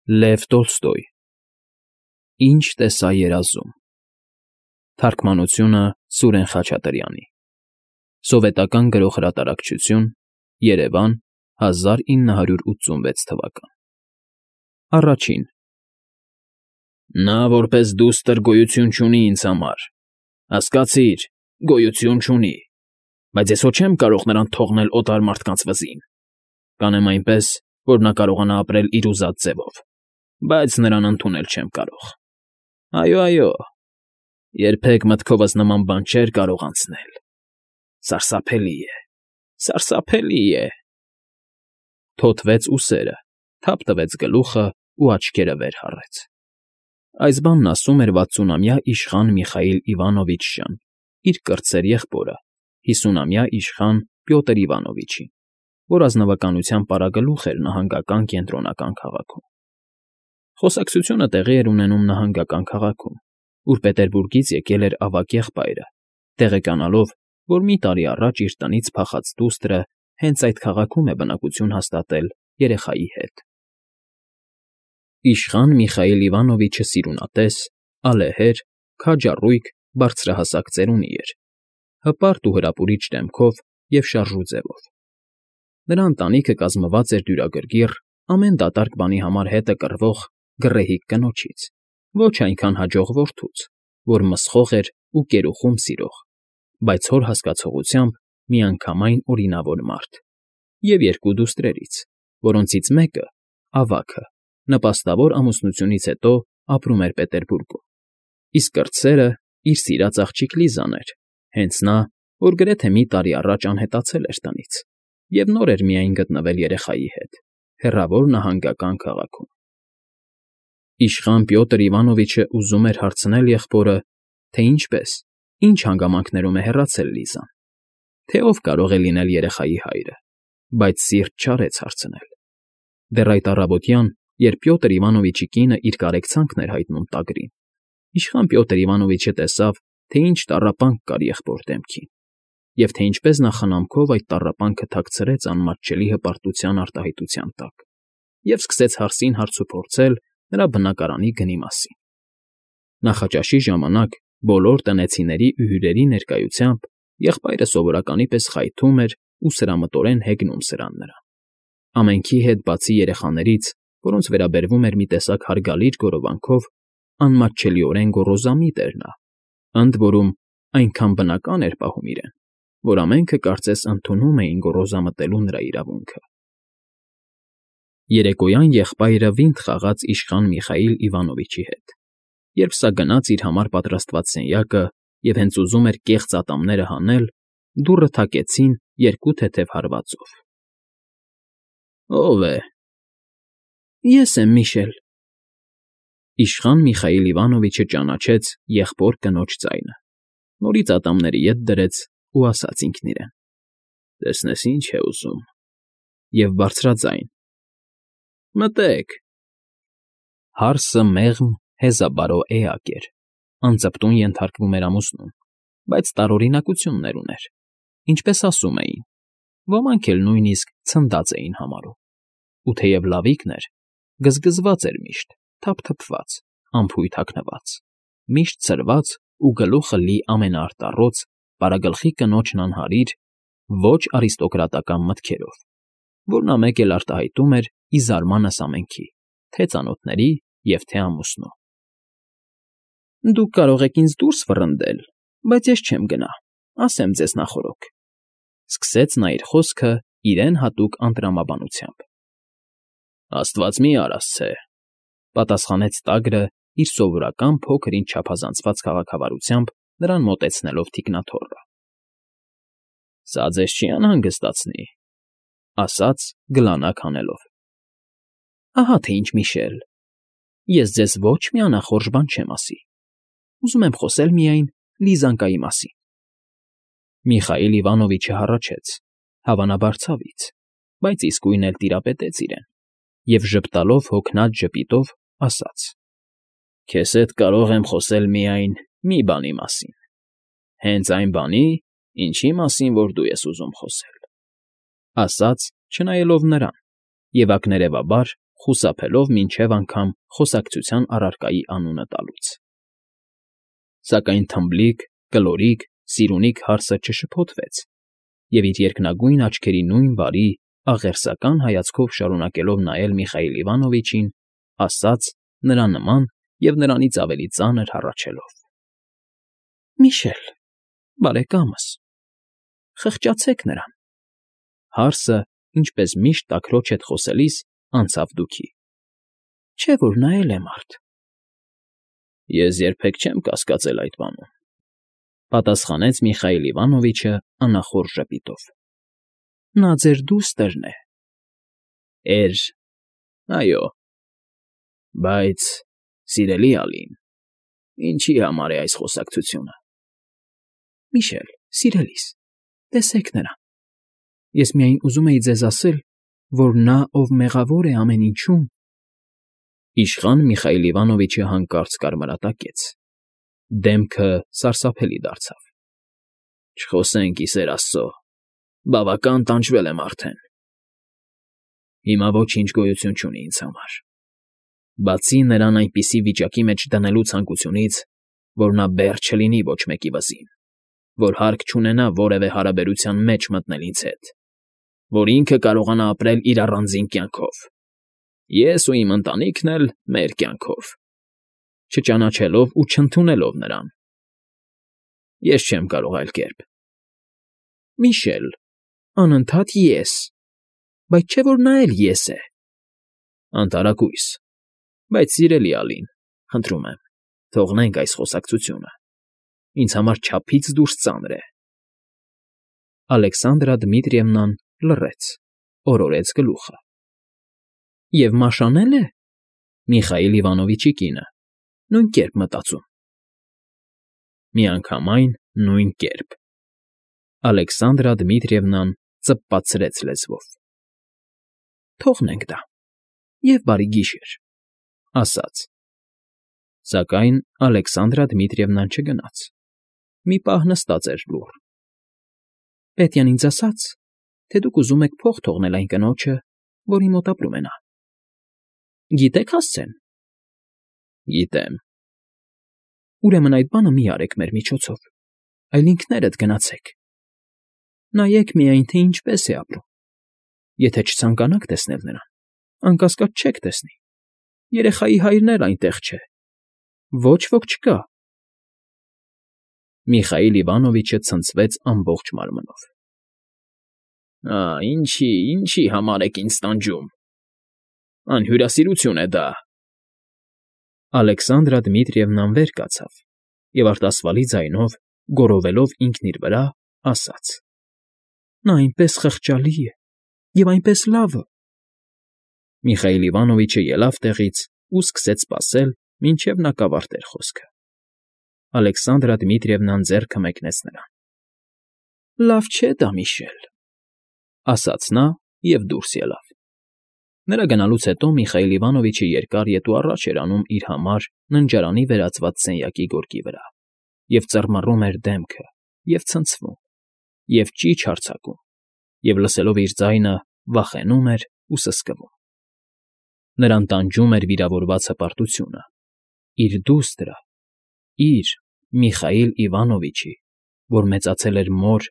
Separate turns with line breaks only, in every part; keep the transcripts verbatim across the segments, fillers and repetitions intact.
Լև Տոլստոյ Ինչ տեսա երազում Թարգմանությունը Սուրեն Խաչատրյանի Սովետական գրող֊հրատարակչություն Երևան հազար ինը հարյուր ութսունվեց թվական Առաջին Նա որպես դուստր գոյություն չունի ինձ համար, հասկացիր, գոյություն չունի, բայց ես հո չեմ կարող նրան թողնել օտար մարդկանց վզին, կանեմ այնպես, որ նա կարողանա ապրել իր ուզած ձևով, բայց նրան ընդունել չեմ կարող, այո, այո, երբեք մտքովս նման բան չէր կարող անցնել, սարսափելի է, սարսափելի է, թոթվեց ուսերը, թափ տվեց գլուխը ու աչքերը վեր հառեց, այս բանն ասում էր վաթսունամյա իշխան Միխայիլ Իվանովիչ֊Ժան, իր կրտսեր եղբորը, հիսունամյա իշխան Պյոտր Իվանովիչին, որ ազնվականության պարագլուխ էր նահանգական կենտրոնական քաղաքում։ Խոսակցությունը տեղի էր ունենում նահանգական քաղաքում, ուր Պետերբուրգից եկել էր ավագ եղբայրը, տեղեկանալով, որ մի տարի առաջ իր տնից փախած դուստրը հենց այդ քաղաքում է բնակություն հաստատել երեխայի հետ։ Իշխան Միխայիլ Իվանովիչը սիրունատես, ալեհեր, քաջառույգ, բարձրահասակ ծերունի էր, հպարտ ու հրապուրիչ դեմքով և շարժու ձևով։ Նրա ընտանիքը կազմված էր դյուրագրգիռ, ամեն դատարկ բանի համար հետը կռվող գռեհիկ կնոջից, ոչ այնքան հաջող որդուց, որ մսխող էր ու կերուխում սիրող, բայց հոր հասկացողությամբ միանգամայն օրինավոր մարդ, և երկու դուստրերից, որոնցից մեկը՝ ավագը, նպաստավոր ամուսնությունից հետո ապրում էր Պետերբուրգում, իսկ կրտսերը իր սիրած աղջիկ Լիզան էր, հենց նա, որ գրեթե մի տարի առաջ անհետացել էր տնից և նոր էր միայն գտնվել երեխայի հետ, հեռավոր նահանգական քաղաքում։ Իշխան Պյոտր Իվանովիչը ուզում էր հարցնել եղբորը, թե ինչպես, ինչ հանգամանքներում է հեռացել Լիզան, թե ով կարող է լինել երեխայի հայրը, բայց սիրտ չարեց հարցնել։ Դեռ այդ առավոտյան, երբ Պյոտր Իվանովիչի կինը իր կարեկցանքն էր հայտնում տագրին, իշխան Պյոտր Իվանովիչը տեսավ, թե ինչ տառապանք կար եղբոր դեմքին, և թե ինչպես նա խնամքով այդ տառապանքը թաքցրեց անմատչելի հպարտության արտահայտության տակ և սկսեց հարսին հարցուփորձել նրա բնակարանի գնի մասին։ Նախաճաշի ժամանակ բոլոր տնեցիների ու հյուրերի ներկայությամբ եղբայրը սովորականի պես խայթում էր ու սրամտորեն հեգնում սրան նրան։ Ամենքի հետ, բացի երեխաներից, որոնց վերաբերվում էր մի տեսակ հարգալից գոռովանքով, անմատչելիորեն գոռոզամիտ էր նա, ընդ որում այնքան բնական էր պահում իրեն, որ ամենքը կարծես ընդունում էին գոռոզամտելու նրա իրավունքը։ Երեկոյան եղբայրը վինտ խաղաց իշխան Միխայիլ Իվանովիչի հետ, երբ սա գնաց իր համար պատրաստված սենյակը և հենց ուզում էր կեղծ ատամները հանել, դուռը թակեցին երկու թեթև հարվածով։ Ո՞վ է։ Ես եմ, Միշել։ Իշխան Միխայիլ Իվանովիչը ճանաչեց եղբոր կնոջ ձայնը, նորից ատամների ետ դրեց ու ասաց ինքն իրեն. Տեսնես ինչ է ուզում, և բարձրաձայն. Մտեք։ Հարսը մեղմ, հեզաբարո էակ էր, անծպտուն ենթարկվում էր ամուսնուն, բայց տարօրինակություններ ուներ, ինչպես ասում էին, ոմանք էլ նույնիսկ ցնդած էին համարում, ու թեև լավիկն էր, գզգզված էր միշտ, թափթփված, անփույթ հագնված, միշտ ցրված ու գլուխը լի ամենաարտառոց, պարագլխի կնոջն անհարիր, ոչ արիստոկրատական մտքերով, որ նա մեկ էլ արտահայտում էր ի զարմանս ամենքի, թե ծանոթների և թե ամուսնու։ Դուք կարող եք ինձ դուրս վռնդել, բայց ես չեմ գնա, ասեմ ձեզ նախօրոք, սկսեց նա իր խոսքը իրեն հատուկ անտրամաբանությամբ։ Աստված մի արասցե, պատասխանեց տագրը իր սովորական փոքր֊ինչ չափազանցված քաղաքավարությամբ նրան մոտեցնելով թիկնաթոռը։ Սա ձեզ չի անհանգստացնի, ասաց գլանակ հանելով։ Ահա թե ինչ, Միշել, ես ձեզ ոչ մի անախորժ բան չեմ ասի, ուզում եմ խոսել միայն Լիզանկայի մասին։ Միխայիլ Իվանովիչը հառաչեց, հավանաբար ցավից, բայց իսկույն էլ տիրապետեց իրեն և ժպտալով հոգնած ժպիտով ասաց. Քեզ հետ կարող եմ խոսել միայն մի բանի մասին, հենց այն բանի, ինչի մասին, որ դու ես ուզում խոսել, ասաց, չնայելով նրան, և ակներևաբար խուսափելով մինչև անգամ խոսակցության առարկայի անունը տալուց։ Սակայն թմբլիկ, կլորիկ, սիրունիկ հարսը չշփոթվեց և իր երկնագույն աչքերի նույն բարի, աղերսական հայացքով շարունակելով նայել Միխայիլ Իվանովիչին, ասաց նրա նման և նրանից ավելի ծանր հառաչելով. ֊ Միշել, բարեկամս, խղճացեք նրան… Հարսը, ինչպես միշտ տաքրոջ հետ խոսելիս, անցավ դուքի. Չէ՞ որ նա էլ է մարդ։ ֊ Ես երբեք չեմ կասկածել այդ բանում, ֊ պատասխանեց Միխայիլ Իվանովիչը անախորժ ժպիտով։ ֊ Նա ձեր դուստրն է։ ֊ Էր, այո։ Բայց, սիրելի Ալին, ինչի համար է այս խոսակցությունը։ ֊ Միշել, սիրելիս, տեսեք նրան… Ես միայն ուզում էի ձեզ ասել, որ նա, ով մեղավոր է ամեն ինչում… Իշխան Միխայիլ Իվանովիչը հանկարծ կարմրատակեց, դեմքը սարսափելի դարձավ։ ֊ Չխոսենք, ի սեր աստծո, բավական տանջվել եմ արդեն… Հիմա ոչինչ գոյություն չունի ինձ համար, բացի նրան այնպիսի վիճակի մեջ դնելու ցանկությունից, որ նա բեռ չլինի ոչ մեկի վզին, որ հարկ չունենա որևէ հարաբերության մեջ մտնել ինձ հետ, որ ինքը կարողանա ապրել իր առանձին կյանքով, ես ու իմ ընտանիքն էլ մեր կյանքով, չճանաչելով ու չընդունելով նրան… Ես չեմ կարող այլ կերպ։ ֊ Միշել, անընդհատ ես… Բայց չէ՞ որ նա էլ ես է… ֊ Անտարակույս… Բայց, սիրելի Ալին, խնդրում եմ, թողնենք այս խոսակցությունը… Ինձ համար չափից դուրս ծանր է… Ալեքսանդրա Դմիտրիևնան լռեց, օրորեց գլուխը։ ֊ Եվ մաշանե՞լ է… Միխայիլ Իվանովիչի կինը, նույն կերպ մտածում… Միանգամայն նույն կերպ… Ալեքսանդրա Դմիտրիևնան ծպպացրեց լեզվով։ ֊ Թողնենք դա… Եվ բարի գիշեր…֊ ասաց։ Սակայն Ալեքսանդրա Դմիտրիևնան չգնաց, մի պահ նստած էր լուռ։ ֊ Պետյան ինձ ասաց, թե դուք ուզում եք փող թողնել այն կնոջը, որի մոտ ապրում է նա… Գիտե՞ք հասցեն։ ֊ Գիտեմ։ ֊ Ուրեմն այդ բանը մի արեք մեր միջոցով, այլ ինքներդ գնացեք… Նայեք միայն, թե ինչպես է ապրում… Եթե չցանկանաք տեսնել նրան, անկասկած չեք տեսնի… Երեխայի հայրն էլ այնտեղ չէ… Ոչ ոք չկա… Միխայիլ Իվանովիչը ցնցվեց ամբողջ մարմնով։ ֊ Ա՜, ինչի, ինչի համար եք ինձ տանջում… Անհյուրասիրություն է դա… Ալեքսանդրա Դմիտրիևնան վեր կացավ և արտասվալի ձայնով, գոռովելով ինքն իր վրա, ասաց. ֊ Նա այնպես խղճալի է և այնպես լավը… Միխայիլ Իվանովիչը ելավ տեղից ու սկսեց սպասել, մինչև նա կավարտեր խոսքը։ Ալեքսանդրա Դմիտրիևնան ձեռքը մեկնեց նրան։ ֊ Լավ չէ դա, Միշել, ֊ ասաց նա և դուրս ելավ։ Նրա գնալուց հետո Միխայիլ Իվանովիչը երկար ետ ու առաջ էր անում իր համար ննջարանի վերածված սենյակի գորգի վրա և ծռմռում էր դեմքը և ցնցվում, և ճիչ հարձակում, և, լսելով իր ձայնը, վախենում էր ու սսկվում։ Նրան տանջում էր վիրավորված հպարտությունը՝ իր դուստրը, իր՝ Միխայիլ Իվանովիչի, որ մեծացել էր մոր,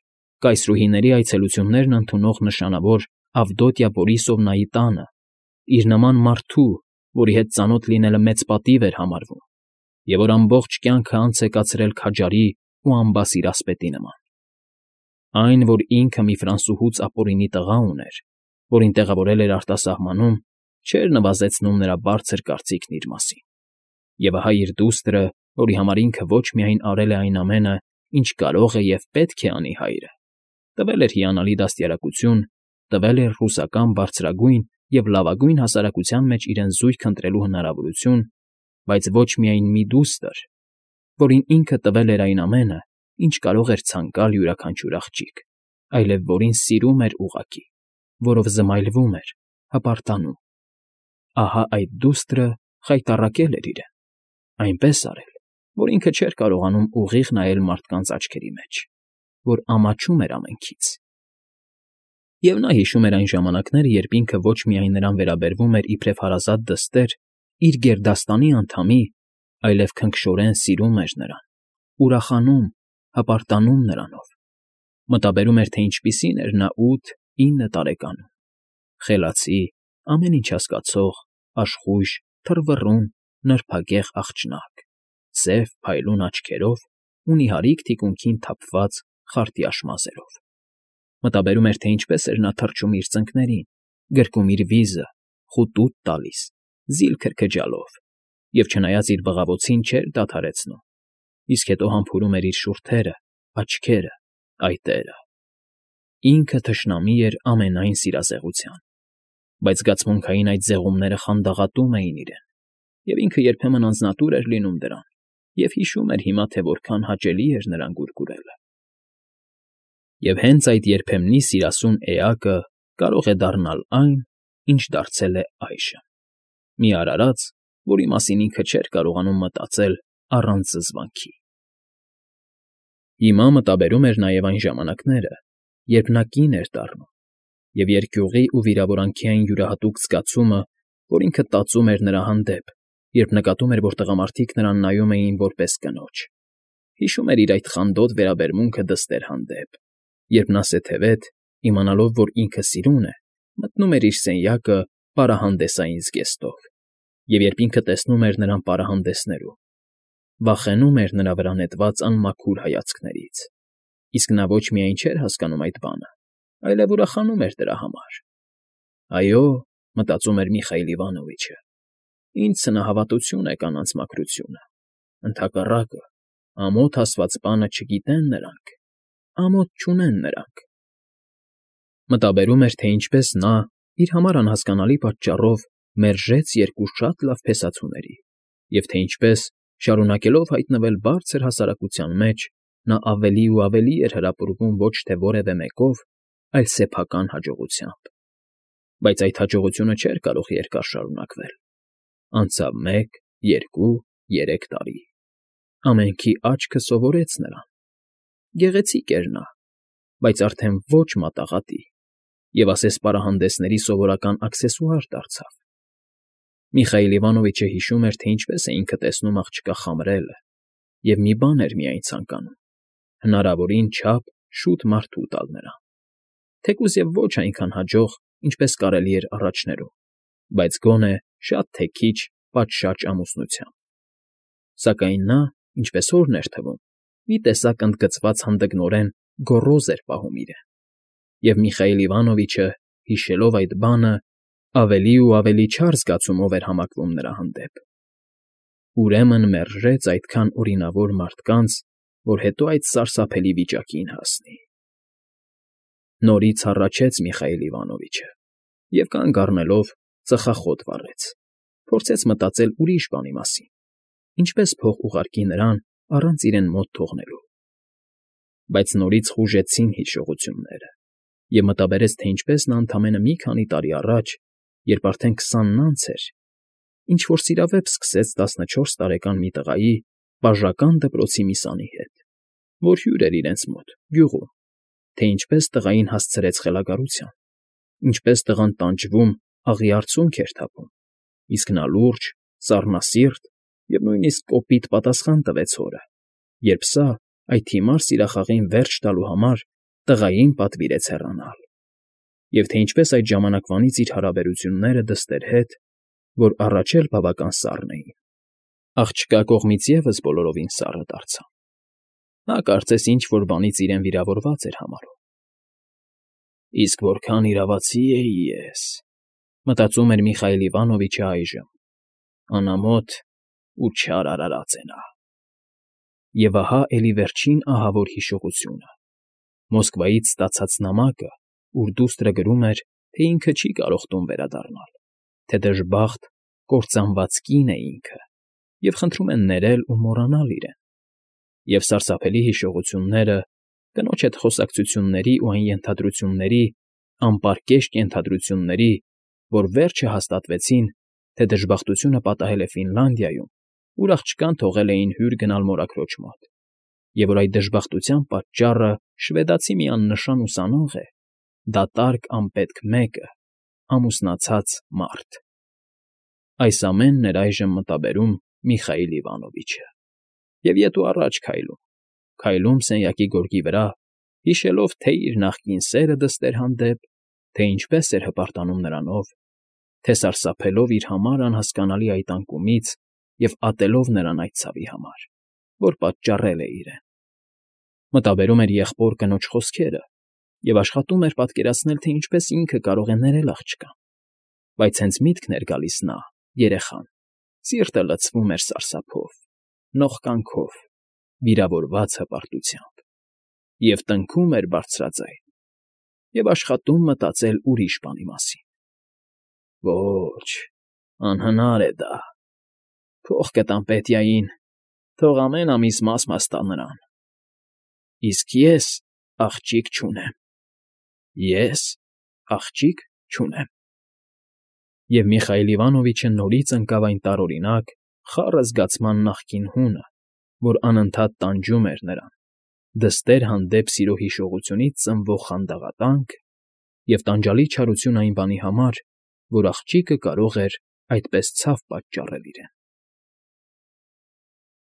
կայսրուհիների այցելություններն ընդունող նշանավոր Ավդոտյա Բորիսովնայի տանը, իր նման մարդու, որի հետ ծանոթ լինելը մեծ պատիվ էր համարվում, և որ ամբողջ կյանքը անց է կացրել քաջարի ու անբասիր ասպետի նման։ Այն, որ ինքը մի ֆրանսուհուց ապօրինի տղա ուներ, որին տեղավորել էր արտասահմանում, չէր նվազեցնում նրա բարձր կարծիքն իր մասին։ Եվ ահա իր դուստրը, որի համար ինքը ոչ միայն արել է այն ամենը, ինչ կարող է և պետք է անի հայրը, տվել էր հիանալի դաստիարակություն, տվել էր ռուսական բարձրագույն և լավագույն հասարակության մեջ իրեն զույգ ընտրելու հնարավորություն, բայց ոչ միայն մի դուստր, որին ինքը տվել էր այն ամենը, ինչ կարող էր ցանկալ յուրաքանչյուր աղջիկ, այլև որին սիրում էր ուղղակի, որով զմայլվում էր, հպարտանում… Ահա այդ դուստրը խայտառակել էր իրեն, այնպես արել, որ ինքը չէր կարողանում ուղիղ նայել մարդկանց աչքերի մեջ, որ ամաչում էր ամենքից։ Եվ նա հիշում էր այն ժամանակները, երբ ինքը ոչ միայն նրան վերաբերվում էր իբրև հարազատ դստեր, իր գերդաստանի անդամի, այլև քնքշորեն սիրում էր նրան, ուրախանում, հպարտանում նրանով. մտաբերում էր, թե ինչպիսին էր նա ութ֊ինը տարեկանում, խելացի, ամեն ինչ հասկացող, աշխույժ, թռվռուն, նրբագեղ աղջնակ, սև, փայլուն աչքերով ու նիհարիկ թիկունքին թափված խարտյաշ մազերով. մտաբերում էր, թե ինչպես էր նա թռչում իր ծնկներին, գրկում իր վիզը, խուտուտ տալիս, զիլ քրքջալով, և չնայած իր բղավոցին չէր դադարեցնում, իսկ հետո համբուրում էր իր շուրթերը, աչքերը, այտերը. ինքը թշնամի էր ամենայն սիրազեղության, բայց զգացմունքային այդ զեղումները խանդաղատում էին իրեն, և ինքը երբեմն անձնատուր էր լինում դրան և հիշում էր հիմա, թե որքան հաճելի էր նրան գուրգուրելը։ Եվ հենց այդ երբեմնի սիրասուն էակը կարող է դառնալ այն, ինչ դարձել է այժմ, մի արարած, որի մասին ինքը չէր կարողանում մտածել առանց զզվանքի։ Հիմա մտաբերում էր նաև այն ժամանակները, երբ նա կին էր դառնում, և երկյուղի ու վիրավորանքի այն յուրահատուկ զգացումը, որ ինքը տածում էր նրա հանդեպ, երբ նկատում էր, որ տղամարդիկ նրան նայում էին որպես կնոջ, հիշում էր իր այդ խանդոտ վերաբերմունքը դստեր հանդեպ, երբ նա սեթևեթ, իմանալով, որ ինքը սիրուն է, մտնում էր իր սենյակը պարահանդեսային զգեստով, և երբ ինքը տեսնում էր նրան պարահանդեսներում, վախենում էր նրա վրա նետված անմաքուր հայացքներից, իսկ նա ոչ միայն չէր հասկանում այդ բանը, այլև ուրախանում էր դրա համար։ «Այո,֊ մտածում էր Միխայիլ Իվանովիչը,֊ ինչ սնահավատություն է կանանց մաքրությունը, ընդհակառակը, ամոթ ասված բանը չգիտեն նրանք, ամոթ չունեն նրանք»։ Մտաբերում էր, թե ինչպես նա, իր համար անհասկանալի պատճառով, մերժեց երկու շատ լավ փեսացուների, և թե ինչպես, շարունակելով հայտնվել բարձր հասարակության մեջ, նա ավելի ու ավելի էր հրապուրվում ոչ թե որևէ մեկով, այլ սեփական հաջողությամբ։ Բայց այդ հաջողությունը չէր կարող երկար շարունակվել. անցավ մեկ, երկու, երեք տարի, ամենքի աչքը սովորեց նրան. գեղեցիկ էր նա, բայց արդեն ոչ մատաղատի, և ասես պարահանդեսների սովորական աքսեսուար դարձավ։ Միխայիլ Իվանովիչը հիշում էր, թե ինչպես է ինքը տեսնում աղջկա խամրելը, և մի բան էր միայն ցանկանում. հնարավորին չափ շուտ մարդու տալ նրան, թեկուզ և ոչ այնքան հաջող, ինչպես կարելի էր առաջներում, բայց գոնե շատ թե քիչ պատշաճ ամուսնությամբ։ Սակայն նա, ինչպես հորն էր թվում, մի տեսակ ընդգծված հանդգնորեն գոռոզ էր պահում իրեն, և Միխայիլ Իվանովիչը, հիշելով այդ բանը, ավելի ու ավելի չար զգացումով էր համակվում նրա հանդեպ։ Ուրեմն մերժեց այդքան օրինավոր մարդկանց, որ հետո այդ սարսափելի վիճակին հասնի։ Նորից հառաչեց Միխայիլ Իվանովիչը և կանգ առնելով ծխախոտ վառեց, փորձեց մտածել ուրիշ բանի մասին, ինչպես փող ուղարկի նրան առանց իրեն մոտ թողնելու։ Բայց նորից խուժեցին հիշողությունները, և մտաբերեց, թե ինչպես նա ընդամենը մի քանի տարի առաջ, երբ արդեն քսանն անց էր, ինչ֊որ սիրավեպ սկսեց տասնչորս տարեկան մի տղայի, բաժական դպրոցի մի սանի հետ, որ հյուր էր իրենց մոտ, գյուղում, թե ինչպես տղային հասցրեց խելագարության, ինչպես տղան տանջվում, աղի արցունք էր թափում, իսկ նա լուրջ, սառնասիրտ և նույնիսկ կոպիտ պատասխան տվեց հորը, երբ սա, այդ հիմար սիրախաղին վերջ տալու համար, տղային պատվիրեց հեռանալ, և թե ինչպես այդ ժամանակվանից իր հարաբերությունները դստեր հետ, որ առաջ էլ բավական սառն էին, աղջկա կողմից ևս բոլորովին սառը դարձան։ Նա կարծես ինչ֊որ բանից իրեն վիրավորված էր համարում։ «Իսկ որքան իրավացի էի ես,֊ մտածում էր Միխայիլ Իվանովիչը այժմ,֊ անամոթ ու չար արարած է նա»։ Եվ ահա էլի վերջին ահավոր հիշողությունը՝ Մոսկվայից ստացած նամակը, ուր դուստրը գրում էր, թե ինքը չի կարող տուն վերադառնալ, թե դժբախտ, կործանված կին է ինքը, և խնդրում են ներել ու մոռանալ իրեն, և սարսափելի հիշողությունները, կնոջ հետ խոսակցությունների ու այն ենթադրությունների, անպարկեշտ ենթադրությունների, որ վերջը հաստատվեցին, թե դժբախտությունը պատահել է Ֆինլանդիայում, ուր աղջկան թողել էին հյուր գնալ մորաքրոջ մոտ, և որ այդ դժբախտության պատճառը շվեդացի մի աննշան ուսանող է, դատարկ անպետք մեկը, ամուսնացած մարդ… Այս ամենն էր այժմ մտաբերում Միխայիլ Իվանովիչը, և ետ ու առաջ քայլում, քայլում սենյակի գորգի վրա, հիշելով թե՛ իր նախկին սերը դստեր հանդեպ, թե ինչպես էր հպարտանում նրանով, թե սարսափելով իր համար անհասկանալի այդ անկումից և ատելով նրան այդ ցավի համար, որ պատճառել է իրեն… Մտաբերում էր եղբոր կնոջ խոսքերը և աշխատում էր պատկերացնել, թե ինչպես ինքը կարող է ներել աղջկան, բայց հենց միտքն էր գալիս նա, երեխան, սիրտը լցվում էր սարսափով, նողկանքով, վիրավորված հպարտությամբ, և տնքում էր բարձրաձայն, և աշխատում մտածել ուրիշ բանի մասին… Ոչ, անհնար է դա… Փող կտամ Պետյային, թող ամեն ամիս մաս֊մաս տա նրան… Իսկ ես աղջիկ չունեմ… Ես աղջիկ չունեմ… Եվ Միխայիլ Իվանովիչը նորից ընկավ այն տարօրինակ, խառը զգացման նախկին հունը, որ անընդհատ տանջում էր նրան, դստեր հանդեպ սիրո հիշողությունից ծնվող խանդաղատանք և տանջալի չարություն այն բանի համար, որ աղջիկը կարող էր այդպես ցավ պատճառել իրեն…